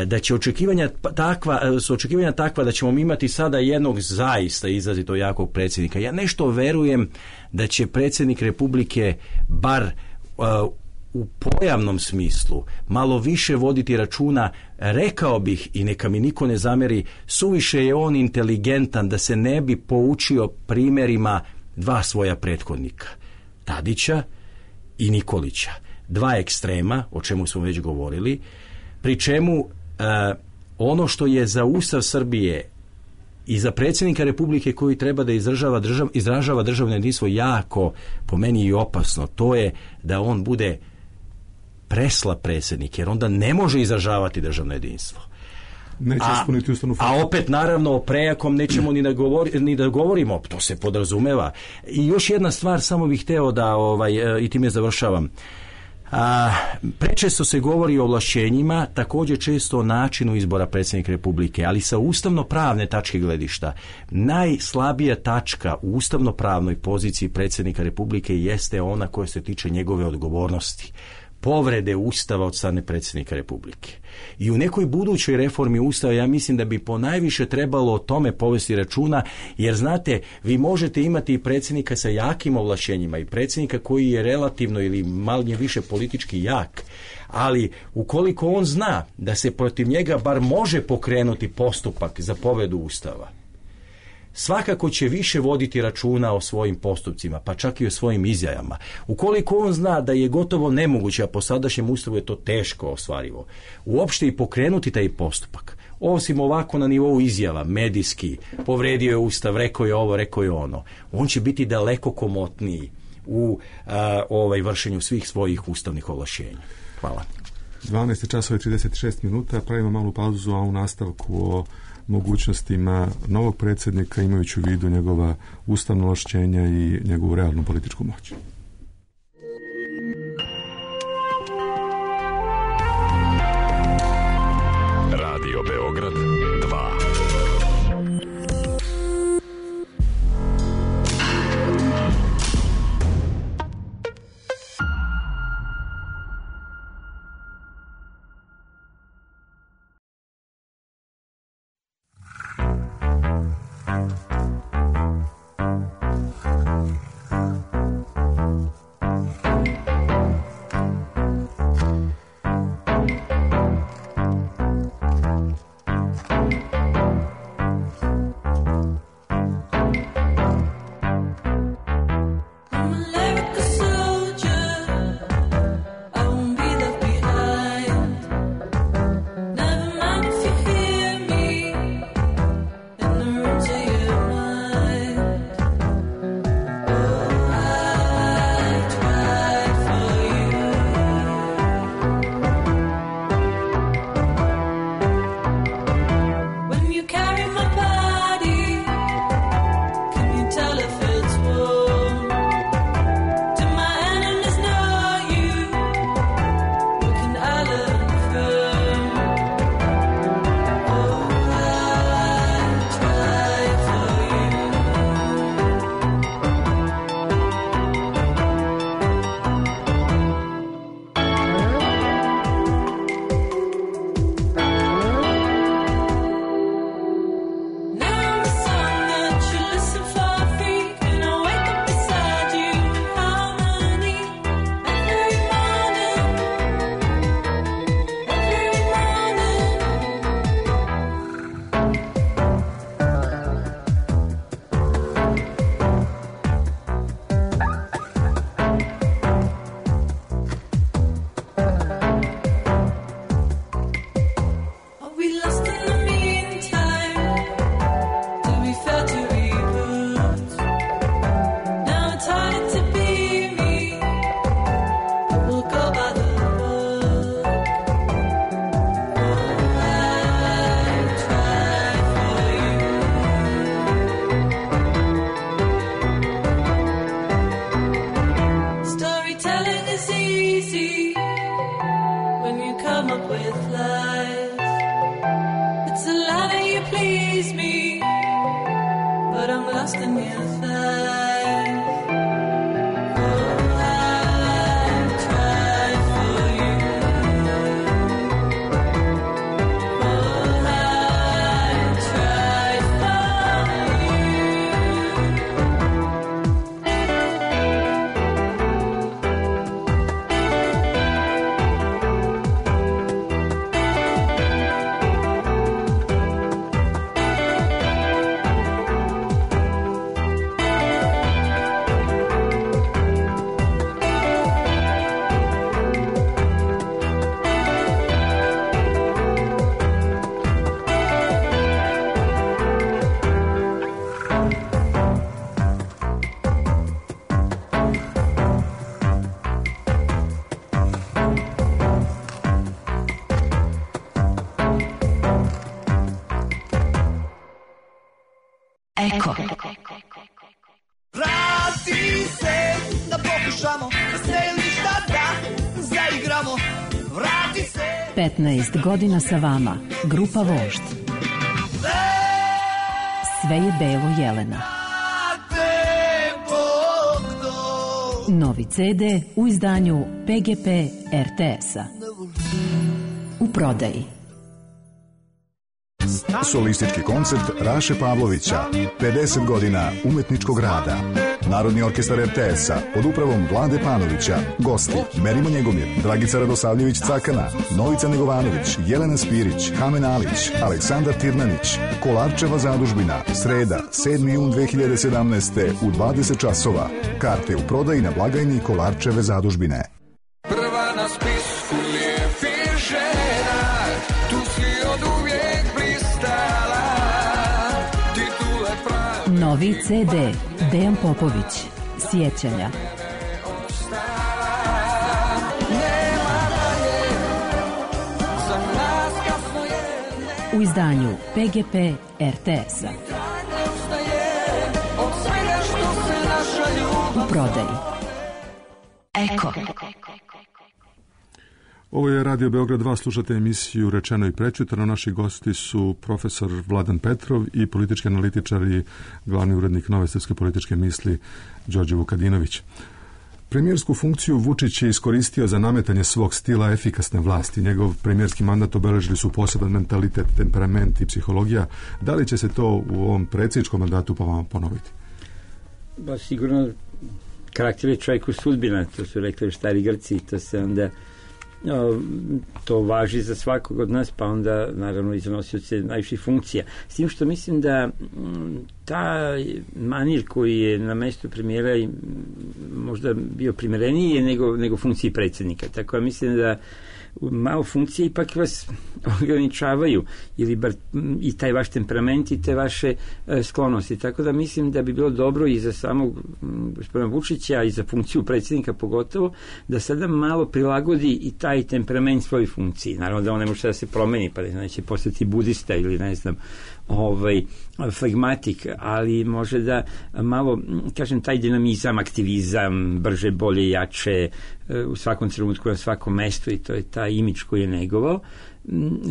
da će očekivanja takva da ćemo imati sada jednog zaista izrazito jakog predsjednika. Ja nešto verujem da će predsjednik Republike bar u pojavnom smislu malo više voditi računa, rekao bih, i neka mi niko ne zameri, suviše je on inteligentan da se ne bi poučio primjerima dva svoja prethodnika, Tadića i Nikolića. Dva ekstrema, o čemu smo već govorili, pri čemu ono što je za Ustav Srbije i za predsjednika Republike koji treba da izražava državno jedinstvo jako, po meni, i opasno, to je da on bude preslab predsjednik, jer onda ne može izražavati državno jedinstvo. Neće ispuniti ustavnu funkciju. A opet, naravno, o prejakom nećemo ni da govorimo, to se podrazumeva. I još jedna stvar, samo bih hteo da, i time završavam. Prečesto se govori o ovlašćenjima, također često o načinu izbora predsjednika Republike, ali sa ustavno-pravne tačke gledišta najslabija tačka u ustavno-pravnoj poziciji predsjednika Republike jeste ona koja se tiče njegove odgovornosti, povrede Ustava od strane predsjednika Republike. I u nekoj budućoj reformi Ustava ja mislim da bi ponajviše trebalo o tome povesti računa, jer znate, vi možete imati i predsjednika sa jakim ovlašćenjima i predsjednika koji je relativno ili manje više politički jak, ali ukoliko on zna da se protiv njega bar može pokrenuti postupak za povredu Ustava, svakako će više voditi računa o svojim postupcima, pa čak i o svojim izjavama. Ukoliko on zna da je gotovo nemoguće, a po sadašnjem Ustavu je to teško ostvarivo, uopšte i pokrenuti taj postupak, osim ovako na nivou izjava, medijski, povredio je Ustav, rekao je ovo, rekao je ono, on će biti daleko komotniji u vršenju svih svojih ustavnih ovlašćenja. Hvala. 12:36, pravimo malu pauzu, a u nastavku o mogućnostima novog predsjednika, imajući u vidu njegova ustavna ovlašćenja i njegovu realnu političku moć. Radio Beograd 2. come up with lies. It's a lie that you please me, but I'm lost in your thighs. Eko. Vrati se, da pokušamo, da se ili šta da zaigramo. Vrati se. 15 godina sa vama, grupa Vožd. Sve je belo Jelena. Novi CD u izdanju PGP RTS-a. U prodaji. Solistički koncert Raše Pavlovića, 50 godina umetničkog rada. Narodni orkestar RTS-a pod upravom Vlade Panovića. Gosti: Merimo Njegomir, Dragica Radosavljević-Cakana, Novica Negovanović, Jelena Spirić, Kamen Alić, Aleksandar Tirnanić. Kolarčeva zadužbina, sreda, 7. jun 2017. u 20 časova. Karte u prodaji na blagajni Kolarčeve zadužbine. Prva na spisku lijepih žena, tu si od uvijek blistala, titule pravi. Novi CD Dejan Popović, Sjećanja. U izdanju PGP RTS-a. U prodaji. Eko. Ovo je Radio Beograd 2, slušate emisiju Rečeno i prečutano. Naši gosti su profesor Vladan Petrov i politički analitičar i glavni urednik Nove srpske političke misli Đorđe Vukadinović. Premijersku funkciju Vučić je iskoristio za nametanje svog stila efikasne vlasti. Njegov premijerski mandat obeležili su poseban mentalitet, temperament i psihologija. Da li će se to u ovom predsjedničkom mandatu ponoviti? Ba, sigurno karakter je čovjeku sudbina, to su rekli stari Grci, to se onda to važi za svakog od nas, pa onda naravno i za nosioce najviših funkcija. S tim što mislim da ta manir koji je na mjestu premijera možda bio primjereniji nego funkciji predsjednika. Tako da mislim da malo funkcije ipak vas ograničavaju ili bar i taj vaš temperament i te vaše sklonosti. Tako da mislim da bi bilo dobro i za samog gospodina Vučića i za funkciju predsjednika pogotovo da sada malo prilagodi i taj temperament svojoj funkciji. Naravno da on ne može da se promeni pa da neće postati budista ili ne znam flegmatik, ali može da malo, kažem, taj dinamizam, aktivizam, brže, bolje, jače u svakom trenutku, na svakom mestu, i to je taj imidž koji je negovao.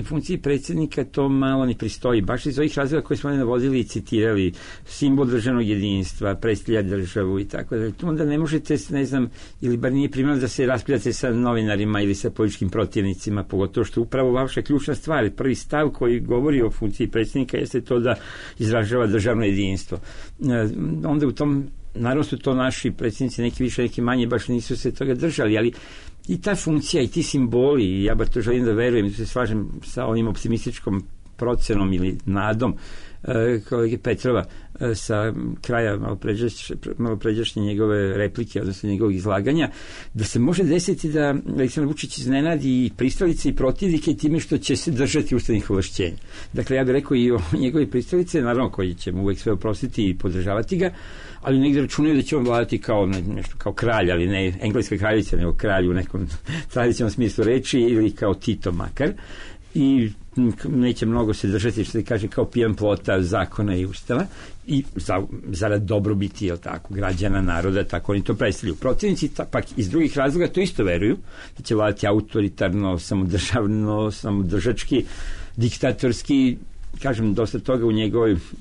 Funkciji predsjednika to malo ne pristoji, baš iz ovih razloga koje smo navodili i citirali, simbol državnog jedinstva, predstavlja državu i tako da. Onda ne možete, ne znam, ili bar nije primjerno da se raspravljate sa novinarima ili sa političkim protivnicima, pogotovo što upravo vaša ključna stvar, prvi stav koji govori o funkciji predsjednika jeste to da izražava državno jedinstvo. Onda u tom, naravno su to naši predsjednici, neki više, neki manje, baš nisu se toga držali, ali i ta funkcija i ti simboli, i ja bar to želim da verujem, da se slažem sa onim optimističkom procenom ili nadom kolege Petrova sa kraja malopređašnje njegove replike, odnosno njegovog izlaganja, da se može desiti da Aleksandar Vučić iznenadi i pristalice i protivnike time što će se držati ustavnih ovlašćenja. Dakle, ja bih rekao i o njegove pristalice, naravno koji će mu uvek sve oprostiti i podržavati ga, ali negdje računaju da će on vladati kao nešto kao kralj, ali ne engleska kraljica, nego kralj u nekom tradicionalnom smislu reči, ili kao Tito makar. i neće mnogo se držati, što se kaže, kao pijan plota zakona i ustava i zarad dobrobiti, jel tako, građana, naroda, tako oni to predstavljaju. Protivnici pak iz drugih razloga to isto veruju, da će vladati autoritarno, samodržavno, samodržački, diktatorski. Kažem, dosta toga u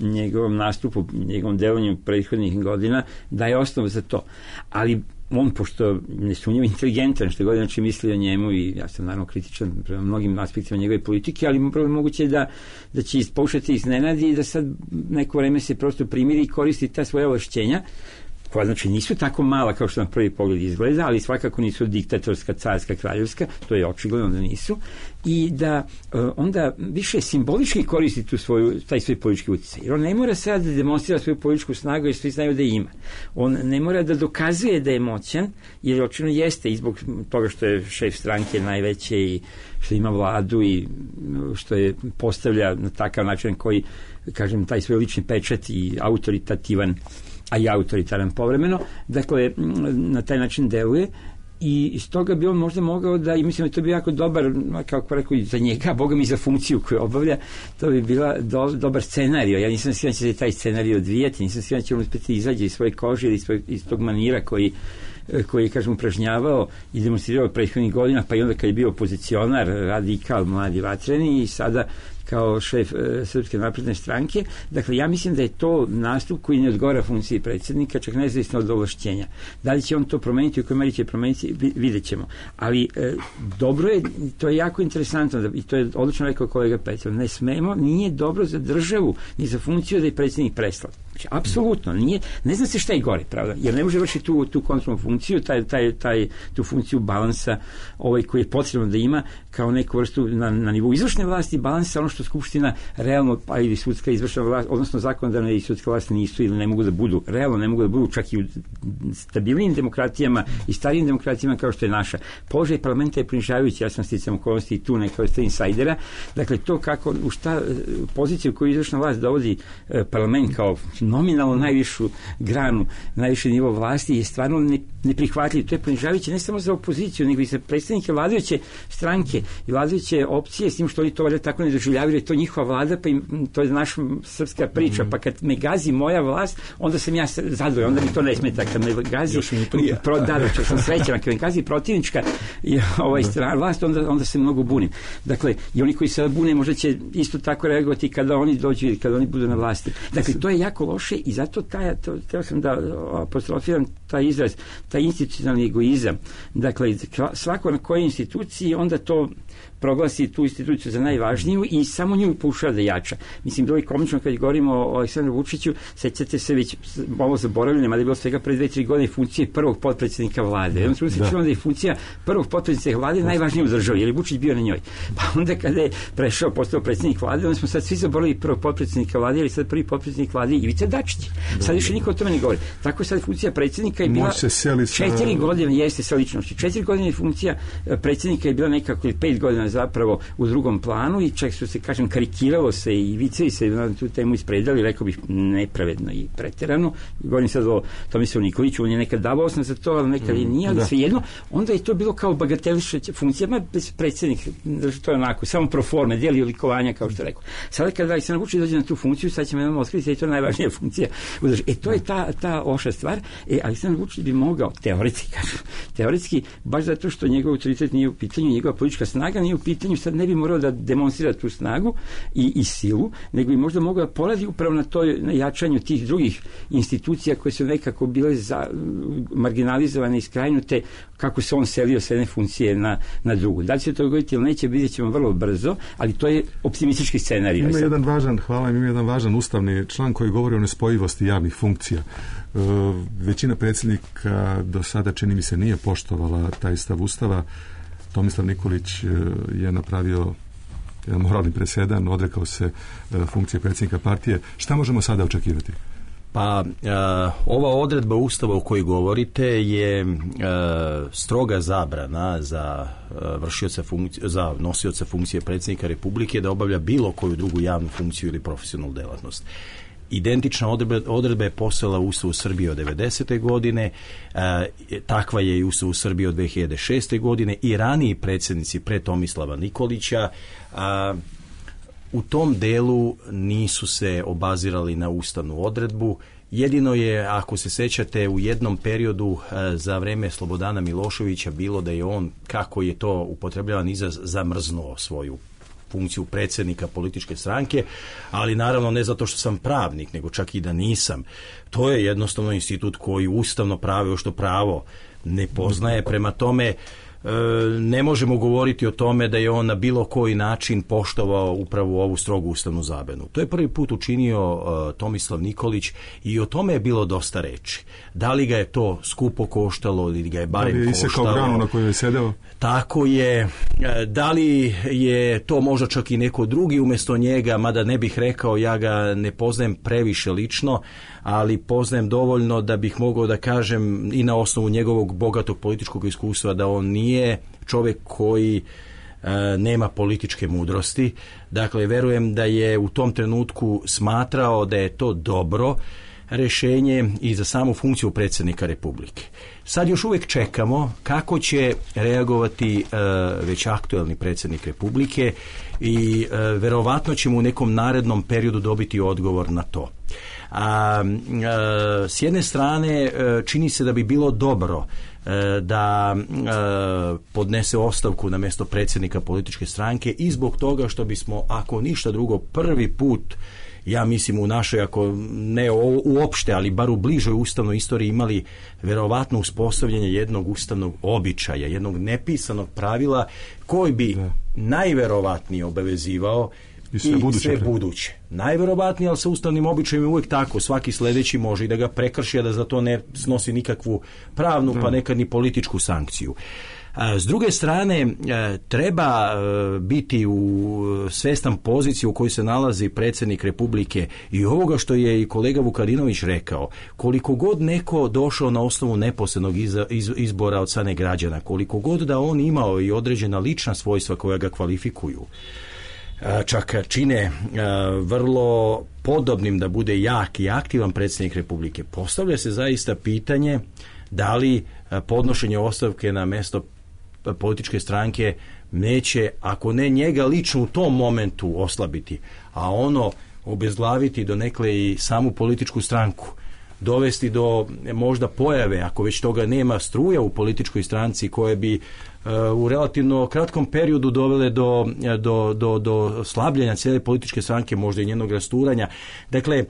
njegovom nastupu, njegovom delovanju prethodnih godina daje osnovu za to. Ali on, pošto nesumnjivo inteligentan, što god znači misli o njemu, i ja sam naravno kritičan prema mnogim aspektima njegove politike, ali moguće je da će pokušati iznenadi i da sad neko vreme se prosto primiri i koristi ta svoja ovlašćenja, koja znači nisu tako mala kao što na prvi pogled izgleda, ali svakako nisu diktatorska, carska, kraljevska, to je očigledno da nisu, i da onda više simbolički koristi taj svoj politički utjecaj. Jer on ne mora sad da demonstrira svoju političku snagu, jer svi znaju da je ima. On ne mora da dokazuje da je moćan, jer očigledno jeste, i zbog toga što je šef stranke najveće i što ima vladu i što je postavlja na takav način koji, kažem, taj svoj lični pečat i autoritativan, a i autoritaran povremeno, dakle, na taj način deluje, i iz toga bi on možda mogao da, i mislim da to bi jako dobar, kako rekao, i za njega, boga mi za funkciju koju obavlja, to bi bila dobar scenario. Ja nisam siguran da će se taj scenario odvijati, nisam siguran da će on uspjeti izađe iz svoje kože ili iz tog manira koji je, kažem, upražnjavao i demonstrirao prethodnih godina, pa i onda kad je bio opozicionar, radikal, mladi, vatreni, i sada kao šef Srpske napredne stranke. Dakle, ja mislim da je to nastup koji ne odgovara funkciji predsjednika, čak nezavisno od ovlašćenja. Da li će on to promeniti, u kojoj meri će promeniti, vidjet ćemo. Ali dobro je, to je jako interesantno, i to je odlično rekao kolega Petrov, nije dobro za državu ni za funkciju da je predsjednik preslav. Znači, apsolutno, ne zna se šta je gore, pravda, jer ne može vršiti tu kontrolnu funkciju, tu funkciju balansa koji je potrebno da ima kao neku vrstu na nivou izvršne vlasti, balansa, ono što Skupština realno, pa ili sudska izvršna vlast, odnosno zakonodavna i sudska vlast nisu ili ne mogu da budu, realno ne mogu da budu, čak i u stabilnim demokratijama i starijim demokratijama kao što je naša. Položaj parlamenta je ponižavajući, ja sam sticam okolnosti i tu neka vrsta insajdera. Dakle, to kako, u šta poziciju koju izvršna vlast dovodi parlament kao nominalno najvišu granu, najviši nivo vlasti je stvarno neprihvatljiv. To je ponižavajuće ne samo za opoziciju, nego i za predstavnike vladajuće stranke i vladajuće opcije, s tim što oni to valjda tako ne doživljavaju, je to njihova vlada, pa to je naša srpska priča, pa kad me gazi moja vlast, onda sam ja zadovoljan, onda mi to ne smeta, kad me gazi čak sam srećan, kad me gazi protivnička strana vlast, onda se mnogo bunim. Dakle, i oni koji se bune možda će isto tako reagovati kada oni dođu ili kada oni budu na vlasti. Dakle, to je jako loše i zato teo sam da apostrofiram taj izraz, taj institucionalni egoizam. Dakle, svako na kojoj instituciji onda to proglasi tu instituciju za najvažniju i samo nju pokušava da jača. Mislim, bilo je komično kad govorimo o Aleksandru Vučiću, sećate se već malo zaboravljeno, ali je bilo svega pre 2-3 godine funkcije prvog potpredsjednika vlade. Onda se čulo da je funkcija prvog potpredsjednika vlade najvažnija u državi, jer je Vučić bio na njoj. Pa onda kada je postao predsjednik vlade, onda smo sad svi zaboravili prvog potpredsjednika vlade, ali sad prvi potpredsjednik vlade Ivica Dačić. Sad više niko o tome ne govori. Tako sad funkcija predsjednika je bila 4 godine, jeste sa ličnosti. 4 godine funkcija predsjednika je bila nekako 5 godina zapravo u drugom planu i čak su se, kažem, karikiralo se i vicevi se na tu temu ispredali, rekao bih nepravedno i preterano. Govorim sad o Tomislavu Nikoliću, on je nekad davao osnov za to, ali nekad i nije, ali svejedno, onda je to bilo kao bagatelišća funkcija, bez predsjednik, to je onako, samo pro forme, dijeli odlikovanja, kao što rekao. Sada kada Aleksandar Vučić dođe na tu funkciju, sad ćemo jednom otkriti da je to najvažnija funkcija. To je ta loša stvar. Aleksandar Vučić bi mogao, teoretski, baš zato što njegov autoritet nije u pitanju, njegova politička snaga nije u pitanju, sad ne bi morao da demonstrira tu snagu i silu, nego bi možda mogao da poradi upravo na jačanju tih drugih institucija koje su nekako bile marginalizovane i skrajnute, kako se on selio s jedne funkcije na drugu. Da li će to dogoditi ili neće, vidjet ćemo vrlo brzo, ali to je optimistički scenarij. Ima jedan važan ustavni član koji govori o nespojivosti javnih funkcija. Većina predsjednika do sada, čini mi se, nije poštovala taj stav Ustava. Tomislav Nikolić je napravio jedan moralni presedan, odrekao se funkcije predsjednika partije. Šta možemo sada očekivati? Pa, ova odredba Ustava o kojoj govorite je stroga zabrana za za nosioca funkcije predsjednika Republike da obavlja bilo koju drugu javnu funkciju ili profesionalnu djelatnost. Identična odredba je postojala u Ustavu Srbije od 90. godine, takva je i Ustavu Srbije od 2006. godine i raniji predsjednici pre Tomislava Nikolića u tom delu nisu se obazirali na ustavnu odredbu. Jedino je, ako se sjećate, u jednom periodu za vreme Slobodana Miloševića bilo da je on, kako je to upotrebljavan izraz, zamrznuo svoju funkciju predsjednika političke stranke, ali naravno ne zato što sam pravnik, nego čak i da nisam. To je jednostavno institut koji ustavno pravo što pravo ne poznaje, prema tome ne možemo govoriti o tome da je on na bilo koji način poštovao upravo ovu strogu ustavnu zabranu. To je prvi put učinio Tomislav Nikolić i o tome je bilo dosta reči. Da li ga je to skupo koštalo ili ga je barem koštalo? Da li je isekao granu na kojoj je sedeo? Tako je. Da li je to možda čak i neko drugi umjesto njega, mada ne bih rekao, ja ga ne poznajem previše lično, ali poznajem dovoljno da bih mogao da kažem i na osnovu njegovog bogatog političkog iskustva da on nije čovjek koji nema političke mudrosti. Dakle, verujem da je u tom trenutku smatrao da je to dobro rješenje i za samu funkciju predsjednika Republike. Sad još uvijek čekamo kako će reagovati već aktuelni predsjednik Republike i verovatno ćemo u nekom narednom periodu dobiti odgovor na to. S jedne strane čini se da bi bilo dobro da podnese ostavku na mjesto predsjednika političke stranke i zbog toga što bismo, ako ništa drugo, prvi put, ja mislim u našoj, ako ne uopšte, ali bar u bližoj ustavnoj istoriji imali verovatno uspostavljanje jednog ustavnog običaja, jednog nepisanog pravila koji bi najverovatnije obavezivao i sve buduće. Najverovatnije, ali sa ustavnim običajem je uvijek tako. Svaki sljedeći može i da ga prekrši, a da za to ne snosi nikakvu pravnu, pa nekad ni političku sankciju. S druge strane, treba biti u svestan poziciju u kojoj se nalazi predsjednik Republike i ovoga što je i kolega Vukadinović rekao. Koliko god neko došao na osnovu neposrednog izbora od strane građana, koliko god da on imao i određena lična svojstva koja ga kvalifikuju, čak čine vrlo podobnim da bude jak i aktivan predsjednik Republike, postavlja se zaista pitanje da li podnošenje ostavke na mjesto političke stranke neće, ako ne njega lično u tom momentu oslabiti, a ono obezglaviti donekle i samu političku stranku, dovesti do možda pojave, ako već toga nema, struja u političkoj stranci koje bi u relativno kratkom periodu dovele do slabljenja cijele političke stranke, možda i njenog rasturanja. Dakle,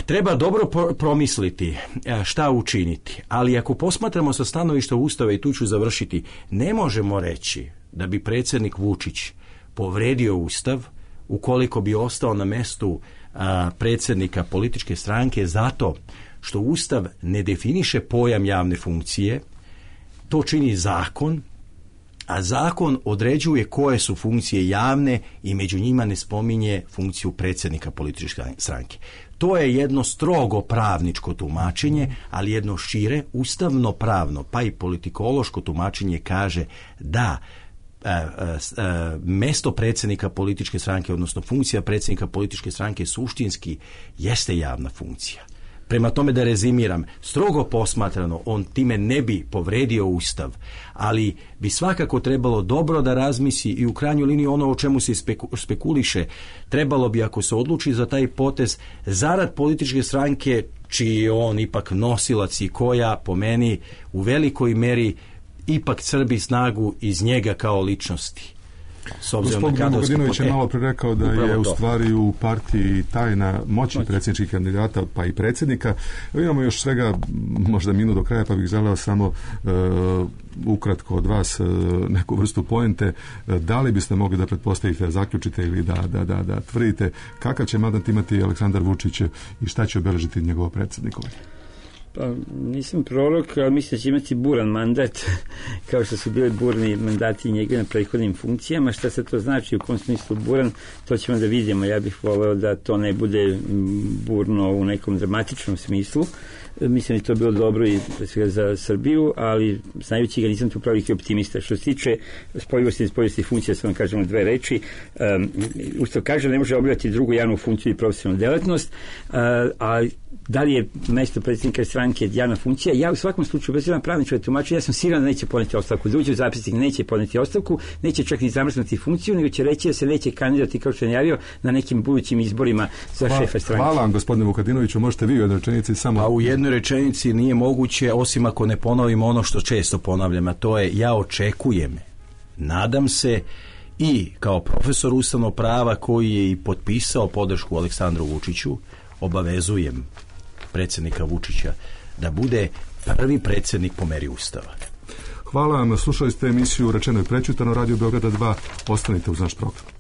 treba dobro promisliti šta učiniti, ali ako posmatramo sa stanovišta Ustava, i tu ću završiti, ne možemo reći da bi predsjednik Vučić povredio Ustav ukoliko bi ostao na mjestu predsjednika političke stranke zato što Ustav ne definiše pojam javne funkcije, to čini zakon, a zakon određuje koje su funkcije javne i među njima ne spominje funkciju predsjednika političke stranke. To je jedno strogo pravničko tumačenje, ali jedno šire ustavno pravno pa i politikološko tumačenje kaže da mjesto predsjednika političke stranke, odnosno funkcija predsjednika političke stranke suštinski jeste javna funkcija. Prema tome, da rezimiram, strogo posmatrano on time ne bi povredio Ustav, ali bi svakako trebalo dobro da razmisli i u krajnjoj liniji ono o čemu se spekuliše, trebalo bi, ako se odluči za taj potez, zarad političke stranke čiji je on ipak nosilac i koja po meni u velikoj meri ipak crpi snagu iz njega kao ličnosti. Gospodin Vukadinović je malo prerekao da je u stvari u partiji tajna moći predsjedničkih kandidata pa i predsjednika. Imamo još svega možda minut do kraja, pa bih želeo samo ukratko od vas neku vrstu poente. Da li biste mogli da pretpostavite, zaključite ili da tvrdite kakav će mandat imati Aleksandar Vučić i šta će obeležiti njegovo predsjednikovanje? Pa nisam prorok, ali mislim da će imati buran mandat, kao što su bili burni mandati njega na prethodnim funkcijama. Šta se to znači, u kom smislu buran, to ćemo da vidimo. Ja bih voleo da to ne bude burno u nekom dramatičnom smislu, mislim da je to bilo dobro i za Srbiju, ali znajući ga nisam tu praviki optimista. Što se tiče spojivosti i nespojivosti funkcija, samo kažemo dve reči. Ustav kaže da ne može obavljati drugu javnu funkciju i profesionalnu delatnost, a da li je mesto predsjednika stranke javna funkcija? Ja u svakom slučaju, bez jedan pravničkog tumačenja, ja sam siguran da neće podneti ostavku. Da uđe u zapisnik, neće podneti ostavku, neće čak ni zamrznuti funkciju, nego će reći da se neće kandidati, kao što je najavio, na nekim budućim izborima za šefa stranke. Hvala vam, gospodine Vukadinoviću. Možete vi u jednoj rečenici samo... A u jednoj rečenici nije moguće, osim ako ne ponovimo ono što često ponavljam, a to je ja očekujem, nadam se, i kao profesor ustavnog prava koji je i potpisao podršku Aleksandru Vučiću, obavezujem predsjednika Vučića da bude prvi predsjednik po meri Ustava. Hvala vam, slušali ste emisiju Rečeno i prečutano, Radio Beograda 2, ostanite uz naš program.